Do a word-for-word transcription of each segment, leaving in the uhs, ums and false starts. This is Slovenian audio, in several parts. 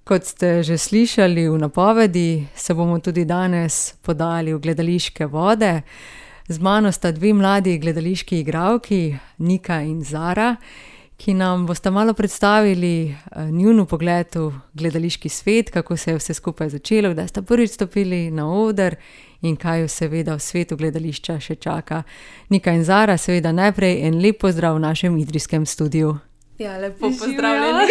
Kot ste že slišali v napovedi, se bomo tudi danes podali v gledališke vode. Z mano sta dve mladi gledališki igralki, Nika in Zara, ki nam bosta malo predstavili njun pogled v gledališki svet, kako se je vse skupaj začelo, kdaj sta prvič stopili na oder in kaj jo seveda v svetu gledališča še čaka. Nika in Zara, seveda najprej en lep pozdrav v našem idrijskem studiu. Ja, lepo pozdravljeni.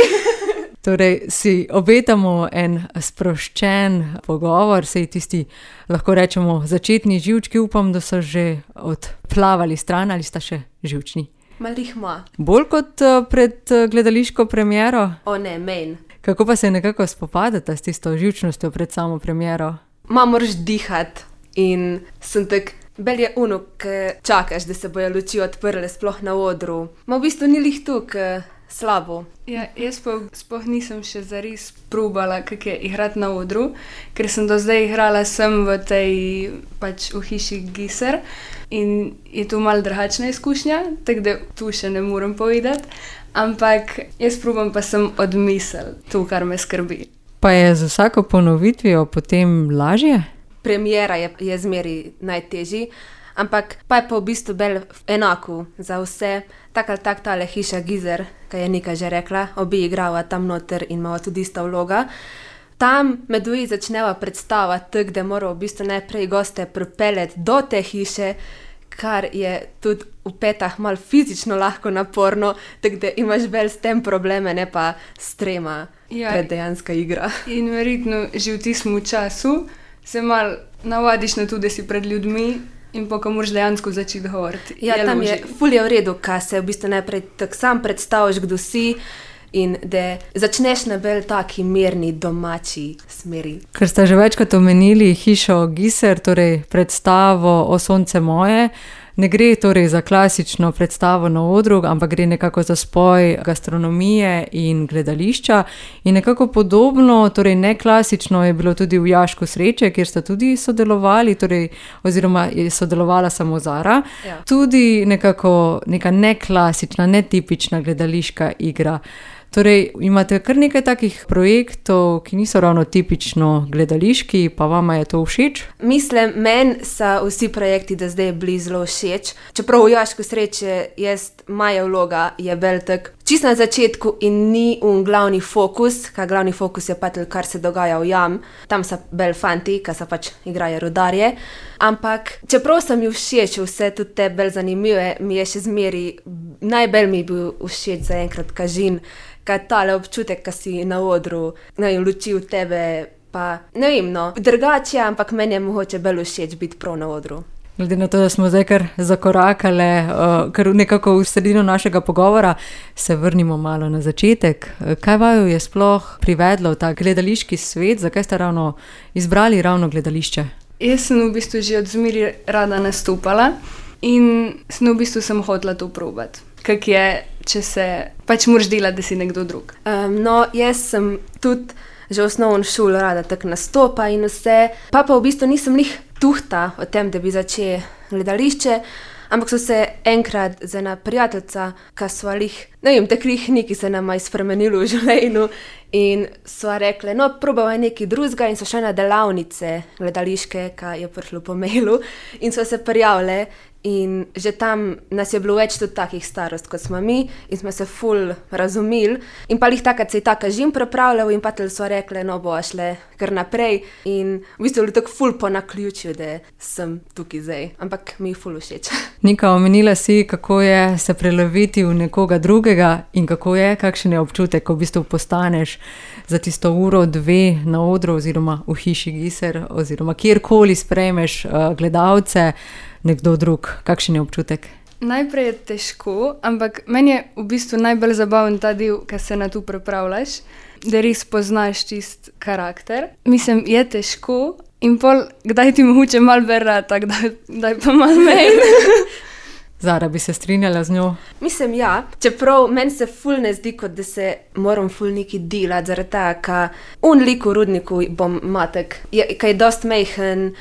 Torej si obetamo en sproščen pogovor, sej tisti, lahko rečemo, začetni živčki, upam, da so že odplavali stran ali sta še živčni. Malih ma. Bolj kot pred gledališko premiero? O ne, men. Kako pa se nekako spopadata s tisto živčnostjo pred samo premiero? Ma moraš dihat in sem tak, bel je uno, ke čakaš, da se bojo luči odprle sploh na odru. Ma v bistvu ni lih tu, ke slabo. Ja, jaz pa sploh nisem še zares probala, kak je igrati na odru, ker sem do zdaj igrala sem v tej, pač v hiši Giser in je to malo drugačna izkušnja, tako da tu še ne morem povedati, ampak jaz probam pa sem odmisel to, kar me skrbi. Pa je z vsako ponovitvijo potem lažje? Premiera je, je zmeri najtežji, ampak pa je pa v bistvu bel enako za vse, tak ali tak tale hiša Gizer, kaj je Nika že rekla, obi igrava tam noter in imava tudi ista vloga. Tam med dvoji začneva predstava tak, da mora v bistvu najprej goste pripeljati do te hiše, kar je tudi v petah malo fizično lahko naporno, tako da imaš bel s tem probleme, ne pa s trema, Ja, preddejanska igra. in verjetno že v tistem času se malo navadiš na to, da si pred ljudmi in pa ko moraš dejansko začeti govoriti. Ja, tam je ful je v redu, ka se v bistvu najprej tak sam predstaviš, kdo si in da začneš na bolj taki mirni, domači smeri. Ker ste že večkrat omenili hišo Giser, torej predstavo O sonce moje, ne gre torej za klasično predstavo na odru, ampak gre nekako za spoj gastronomije in gledališča. In nekako podobno, torej neklasično je bilo tudi v Jašku sreče, kjer sta tudi sodelovali, torej, oziroma je sodelovala samo Zara. Ja. Tudi nekako neka neklasična, netipična gledališka igra. Torej, imate kar nekaj takih projektov, ki niso ravno tipično gledališki, pa vama je to všeč? Mislim, meni so vsi projekti do zdaj bili zelo všeč. Čeprav v Jašku sreče jaz, moja vloga je bolj tak čisto na začetku in ni un glavni fokus, ka glavni fokus je pa tel, kar se dogaja v jam. Tam so bolj fanti, ka so pač igrajo rudarje. Ampak čeprav sem ju všeč, vse tudi te bolj zanimive, mi je še zmeri, najbolj mi je bil všeč zaenkrat kažin, ka tale občutek, ka si na odru, ne vem, luči v tebe, pa ne vem, no, drugače, ampak meni je mogoče bolj všeč biti prav na odru. Glede na to, da smo zdaj kar zakorakale, uh, kar nekako v sredino našega pogovora, se vrnimo malo na začetek. Kaj vaju je sploh privedlo v ta gledališki svet? Zakaj ste ravno izbrali ravno gledališče? Jaz sem v bistvu že od zmeri rada nastopala in sem v bistvu sem hotela to probati. Kak je, če se pač moraš delati, da si nekdo drug. Um, no, jaz sem tudi že v osnovni šoli rada tako nastopa in vse, pa pa v bistvu nisem lih tuhta o tem, da bi začela gledališče, ampak so se enkrat z ena prijateljica, ka sva lih, ne vem, tak lih neki se nama je spremenilo v življenju in sva rekle, no, probava nekaj drugega in so šle na delavnice gledališke, ka je prišlo po mailu in sva se prijavile. In že tam nas je bilo več tudi takih starost, kot smo mi in smo se ful razumeli. In pa lih takrat se je ta kažin pripravljal in pa tel so rekle, no bo šle kar naprej. In v bistvu je bilo tako ful po naključju, da sem tukaj zdaj. Ampak mi je ful všeč. Nika, omenila si, kako je se preloviti v nekoga drugega in kako je, kakšen je občutek, ko v bistvu postaneš za tisto uro, dve na odru oziroma v hiši Giser oziroma kjerkoli sprejmeš uh, gledalce, nekdo drug. Kakšen je občutek? Najprej je težko, ampak meni je v bistvu najbolj zabaven ta del, ko se na to pripravljaš, da res poznaš tist karakter. Mislim, je težko in pol, kdaj ti mogoče malo berata, kdaj, kdaj pa malo meni. Zara, bi se strinjala z njo? Mislim, ja, čeprav meni se ful ne zdi, kot da se moram ful neki delati, zaradi tega, ka un lik v rudniku bom matek, je, ka je dost mejhen,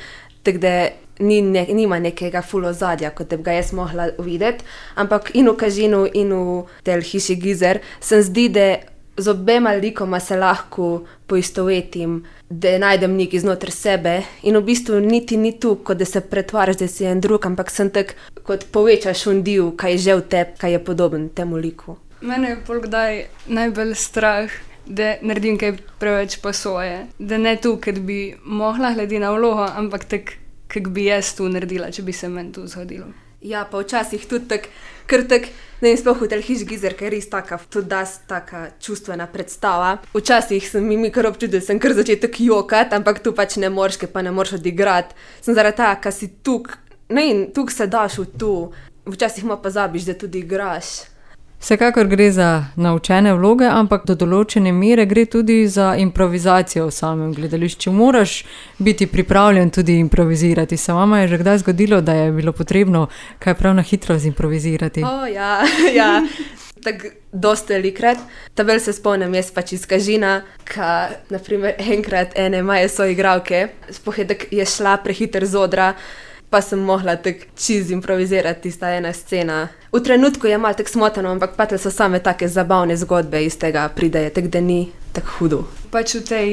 tako da ni ne, nima nekega ful ozadja, kot da bi ga jaz mogla videti, ampak in v kažinu in v tel hiši Gizer se zdi, da z obema likoma se lahko poistovetim, da najdem nekaj znotraj sebe in v bistvu niti ni tu, kot da se pretvaraš, da si en drug, ampak sem tak, kot povečaš undiv, kaj je že v tebi, kaj je podoben temu liku. Mene je pol kdaj najbolj strah, da naredim kaj preveč po svoje. Da ne tu, ker bi mogla glede na vlogo, ampak tak, kak bi jaz tu naredila, če bi se meni tu zgodilo. Ja, pa včasih tudi tak, ker tak, ne vem, sploh v tel Hiši Gizer, ker je res taka, tudi das taka čustvena predstava. Včasih sem mi kar občutil, da sem kar začel tak jokat, ampak tu pač ne moreš, ker pa ne moreš odigrati. Sem zaradi ta, ka si tuk, ne in tuk se daš v tu. Včasih ma pozabiš, da tudi igraš. Vsekakor gre za naučene vloge, ampak do določene mere gre tudi za improvizacijo v samem gledališču. Moraš biti pripravljen tudi improvizirati. Se vama je že kdaj zgodilo, da je bilo potrebno kaj prav na hitro zimprovizirati? O, ja, ja. Tako dosti velikrat. Tabel se spomnim jaz pač iz Kažina, ka naprimer enkrat ene moje soigralke, sploh je tak je šla prehiter z odra, pa sem mogla tak čiz improvizirati tista ena scena. V trenutku je malo tak smotano, ampak patle so same take zabavne zgodbe iz tega prideje, tak da ni tak hudo. Pač v tej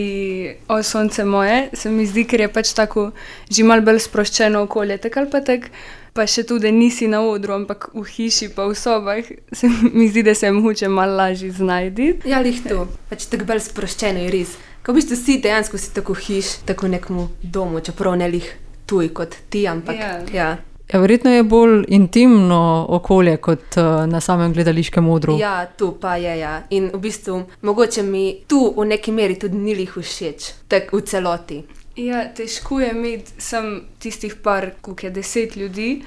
O sonce moje se mi zdi, ker je pač tako že malo bolj sproščeno okolje, tak ali pa tak, pa še tu, da nisi na odru, ampak v hiši pa v sobah, se mi zdi, da se je mogoče malo lažje znajdi. Ja, lih tu, pač tako bolj sproščeno je res. Ko v bistvu si dejansko si tako hiš, tako nekmu domu, čeprav ne lih tuj kot ti, ampak Ja. ja. Ja, verjetno je bolj intimno okolje kot uh, na samem gledališkem odru. Ja, tu pa je, ja. In v bistvu mogoče mi tu v neki meri tudi ni lih všeč, tak v celoti. Ja, težko je imeti sem tistih par, koliko je deset ljudi,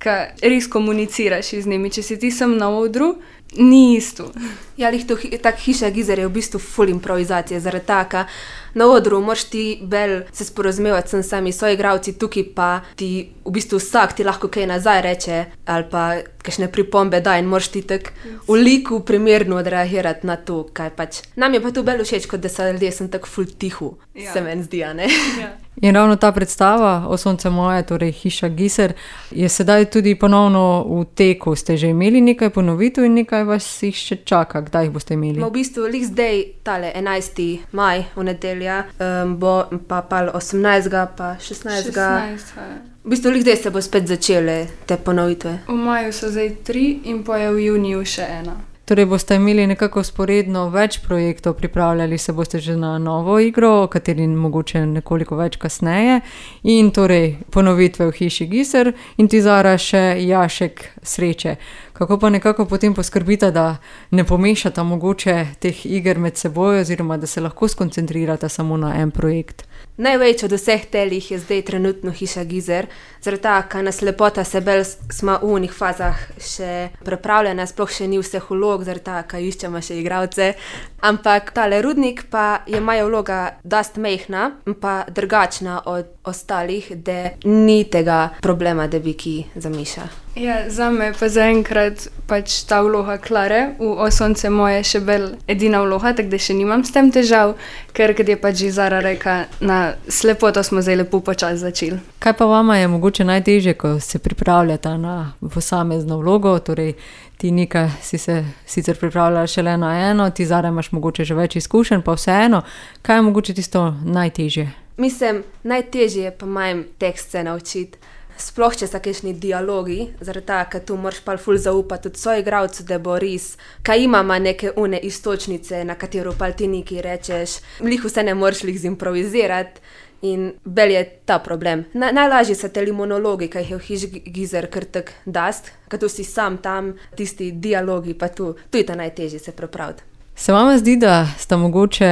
ka res komuniciraš z njimi. Če si ti sem na odru, ni isto. Ja, lih tu hi- tak Hiša Gizer je v bistvu full improvizacije, zaradi taka. Na odru moraš ti bolj se sporozumevati sem sami soigravci, tukaj pa ti v bistvu vsak ti lahko kaj nazaj reče ali pa kakšne pripombe da in moraš ti tak v liku primerno odreagirati na to, kaj pač. Nam je pa tu bolj všeč, kot da so ljudje sem tak full tihu, Ja. se meni zdi, a ne? Ja. In ravno ta predstava O sonce moje, torej Hiša Gizer, je sedaj tudi ponovno v teku. Ste že imeli nekaj ponovitev in nekaj vas jih še čaka. Kdaj jih boste imeli? Ma v bistvu lih zdaj tale enajsti maj v nedelja, um, bo pa pal osemnajstega pa šestnajstega. šestnajst, ja. V bistvu lih zdaj se bo spet začele te ponovitve. V maju so zdaj tri in pa je v juniju še ena. Torej boste imeli nekako sporedno več projektov, pripravljali se boste že na novo igro, o kateri mogoče nekoliko več kasneje, in torej ponovitve v Hiši Gizer in ti Zara še Jašek sreče. Kako pa nekako potem poskrbite, da ne pomešata mogoče teh iger med seboj oziroma da se lahko skoncentrirata samo na en projekt? Največ od vseh telih je zdaj trenutno Hiša Gizer, zaradi taka nas lepota se bolj smo v unih fazah še prepravljena, sploh še ni vseh vlog, zaradi taka iščemo še igralce. Ampak tale Rudnik pa je moja vloga dost mehna, pa drugačna od ostalih, da ni tega problema, da bi ki zamiša. Ja, zame pa zaenkrat pač ta vloga Klare v O sonce moje še bolj edina vloga, tako da še nimam s tem težav, ker kad je pač že Zara reka, na slepoto smo zdaj lepo počas začeli. Kaj pa vama je mogoče najtežje, ko se pripravljata na posamezno vlogo? Torej, ti Nika si se sicer pripravljala šele na eno, ti Zara imaš mogoče že več izkušenj, pa vseeno, kaj je mogoče tisto najtežje? Mislim, najtežje je pa majem tekst se naučiti. Sploh, če so kakšni dialogi, zaradi tega, ker tu moraš pa ful zaupati tudi soigralcu, da bo res, kaj imama neke une istočnice, na katero pa ti nekaj rečeš, lih vse ne moreš lih zimprovizirati in bel je ta problem. Na, najlažje so teli monologi, kaj jih je v Hiši Gizer kar tak dast, ker tu si sam tam, tisti dialogi pa tu, tu je ta najtežje se pripraviti. Se vama zdi, da sta mogoče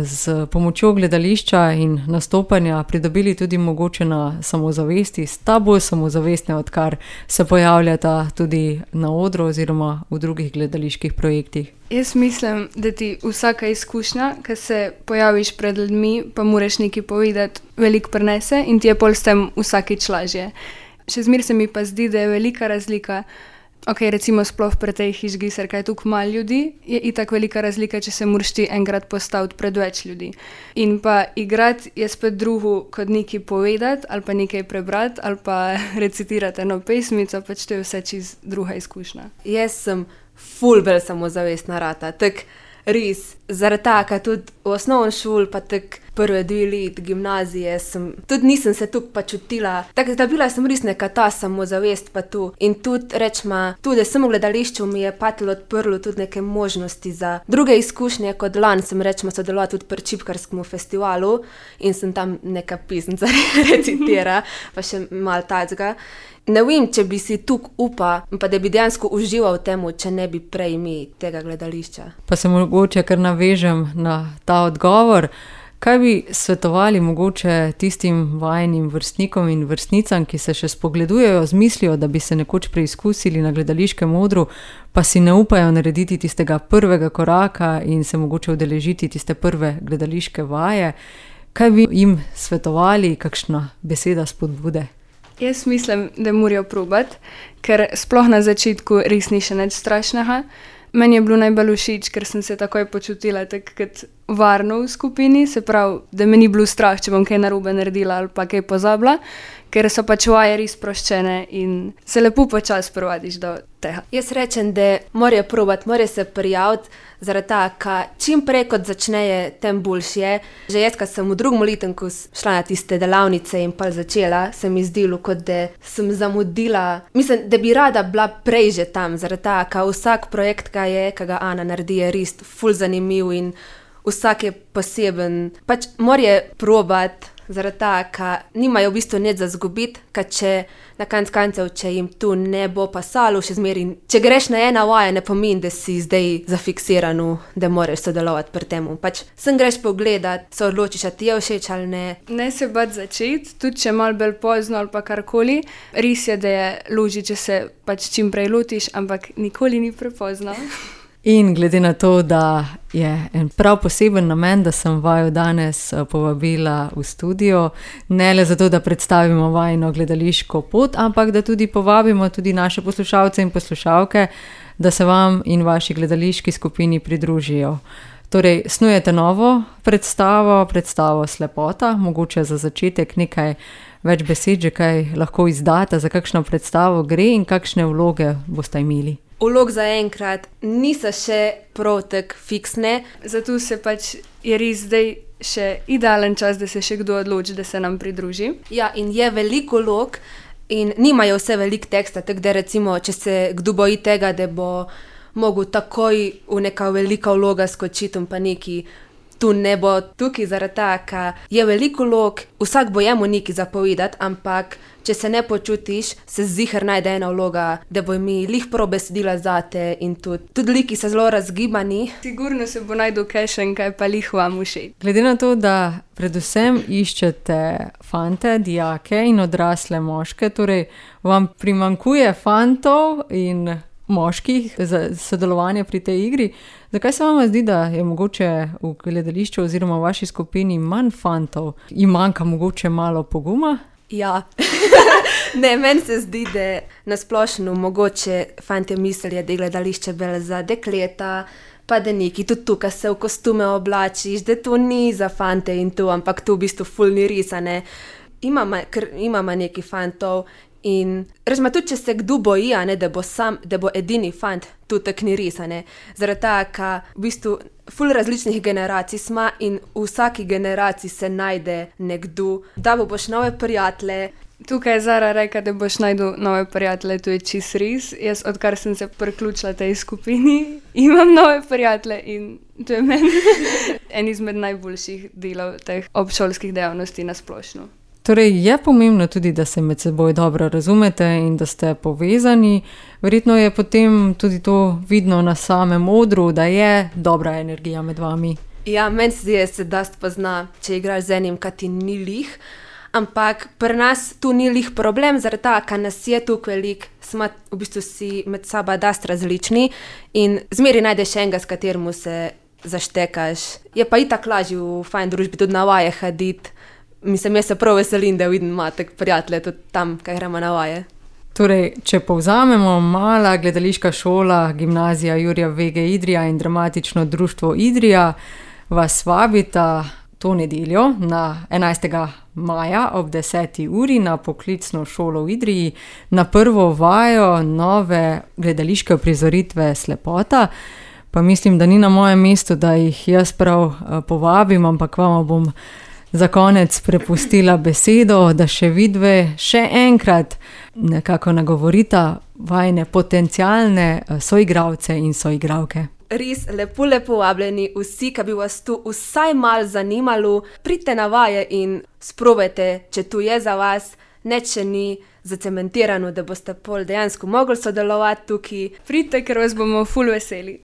z pomočjo gledališča in nastopanja pridobili tudi mogoče na samozavesti, sta bolj samozavestne, odkar se pojavljata tudi na odru oziroma v drugih gledaliških projektih? Jaz mislim, da ti vsaka izkušnja, ko se pojaviš pred ljudmi, pa moraš nekaj povedati, veliko prinese in ti je pol s tem vsakič lažje. Še zmeraj se mi pa zdi, da je velika razlika. Ok, recimo sploh pri tej Hiši Gizer, kaj je tukaj malo ljudi, je itak velika razlika, če se moraš ti enkrat postaviti pred več ljudi. In pa igrati je spet drugo, kot nekaj povedati, ali pa nekaj prebrati, ali pa recitirati eno pesmico, pač to je vse čist druga izkušnja. Jaz sem ful bolj samozavestna rata, tak res. Zaradi tega, tudi v osnovni šoli, pa tako prve dve let gimnazije, sem, tudi nisem se tukaj pa čutila. Tako da bila sem res neka ta samozavest pa tu. In tudi, rečma, tudi sem v gledališču, mi je patilo odprlo tudi neke možnosti za druge izkušnje, kot lani sem, rečma, sodelovala tudi pri Čipkarskem festivalu in sem tam neka pisnica recitira, pa še malo tacga. Ne vem, če bi si tukaj upa, pa da bi dejansko užival v temu, če ne bi prej mi tega gledališča. Pa se mogoče kar navežem na ta odgovor. Kaj bi svetovali mogoče tistim vajenim vrstnikom in vrstnicam, ki se še spogledujejo z mislijo, da bi se nekoč preizkusili na gledališkem odru, pa si ne upajo narediti tistega prvega koraka in se mogoče udeležiti tiste prve gledališke vaje? Kaj bi jim svetovali, kakšna beseda spodbude? Jaz mislim, da morajo probati, ker sploh na začetku res ni še nič strašnega. Meni je bilo najbolj všeč, ker sem se takoj počutila tako kot varno v skupini, se pravi, da me ni bilo strah, če bom kaj narobe naredila ali pa kaj pozabila, ker so pač vaje res sproščene in se lepo počasi privadiš do tega. Jaz rečem, da morajo probati, morajo se prijaviti, zaradi tega, čim prej kot začneje, tem boljše je. Že jaz, ko sem v drugem letniku šla na tiste delavnice in pa začela, se mi zdelo, kot da sem zamudila. Mislim, da bi rada bila prej že tam, zaradi tega, vsak projekt, ki je, ki ga Ana naredi, je res ful zanimiv in vsak je poseben. Pač morajo probati, zaradi tega, ker nimajo v bistvu nič za zgubiti, ker če na koncu koncev, če jim tu ne bo pasalo še zmeraj, če greš na ena vaja, ne pomeni, da si zdaj zafiksiran, da moraš sodelovati pri tem. Pač sem greš pogledat, se odločiš, a ti je všeč ali ne. Ne se bati začeti, tudi če malo bolj pozno ali pa karkoli. Res je, da je loži, če se pač čim prej lotiš, ampak nikoli ni prepozno. In glede na to, da je en prav poseben namen, da sem vaju danes povabila v studio, ne le zato, da predstavimo vajino gledališko pot, ampak da tudi povabimo tudi naše poslušalce in poslušalke, da se vam in vaši gledališki skupini pridružijo. Torej, snujete novo predstavo, predstavo Slepota, mogoče za začetek nekaj več besed, že kaj lahko izdate, za kakšno predstavo gre in kakšne vloge boste imeli. Vlog zaenkrat niso še prav tako fiksne. Zato se pač je res zdaj še idealen čas, da se še kdo odloči, da se nam pridruži. Ja, in je veliko vlog in nimajo vse veliko teksta, tako da recimo, če se kdo boji tega, da bo mogel takoj v neka velika vloga skočiti in pa neki, tu ne bo tukaj zaradi tega, je veliko vlog, vsak bo jemu nekaj zapovedati, ampak če se ne počutiš, se ziher najde ena vloga, da bo mi lih prav besedila zate in tudi, tudi liki so zelo razgibani. Sigurno se bo najdu kakšen, kaj pa lih vam všeč. Glede na to, da predvsem iščete fante, dijake in odrasle moške, torej vam primanjkuje fantov in moških za sodelovanje pri tej igri. Zakaj se vam zdi, da je mogoče v gledališču oziroma v vaši skupini manj fantov? Jim manjka mogoče malo poguma? Ja, ne, meni se zdi, da nasplošno mogoče fantje mislijo, da je gledališče bolj za dekleta, pa da neki tudi tukaj se v kostume oblačiš, da to ni za fante in to, ampak to v bistvu ful ni res, a ne. Imamo, ker imamo neki fantov in rečemo, tudi če se kdo boji, a ne, da bo sam, da bo edini fant, to tako ni res, a ne. Zaradi tega, ker v bistvu ful različnih generacij smo in v vsaki generaciji se najde nekdo, da bo boš nove prijatelje. Tukaj je Zara rekla, da boš najdu nove prijatelje, to je čist res. Jaz, odkar sem se priključila tej skupini, imam nove prijatelje in to je meni en izmed najboljših delov teh obšolskih dejavnosti na splošno. Torej je pomembno tudi, da se med seboj dobro razumete in da ste povezani. Verjetno je potem tudi to vidno na samem odru, da je dobra energija med vami. Ja, meni se zdi, da se dosti pozna, če igraš z enim, kaj ti ni lih. Ampak pri nas tu ni lih problem, zaradi tega, ker nas je tukaj veliko, smo v bistvu si med sabo dosti različni in zmeri najdeš enega, s katerim se zaštekaš. Je pa itak lažje v fajn družbi tudi na vaje hoditi. Mislim, jaz se prav veselim, da vidim matek prijatelje tudi tam, kaj gremo na vaje. Torej, če povzamemo, mala gledališka šola, gimnazija Jurija Vege Idrija in dramatično društvo Idrija vas vabita to nedeljo na enajstega maja ob deseti uri na poklicno šolo v Idriji na prvo vajo nove gledališke uprizoritve Slepota. pa mislim, da ni na mojem mestu, da jih jaz prav uh, povabim, ampak vama bom za konec prepustila besedo, da še vidve še enkrat nekako nagovorita vajne potencialne soigralce in soigralke. Res lepo, lepo vabljeni vsi, ki bi vas tu vsaj malo zanimalo, pridite na vaje in sprobajte, če tu je za vas, nič še ni zacementirano, da boste pol dejansko mogli sodelovati tukaj. Pridite, ker vas bomo ful veseli.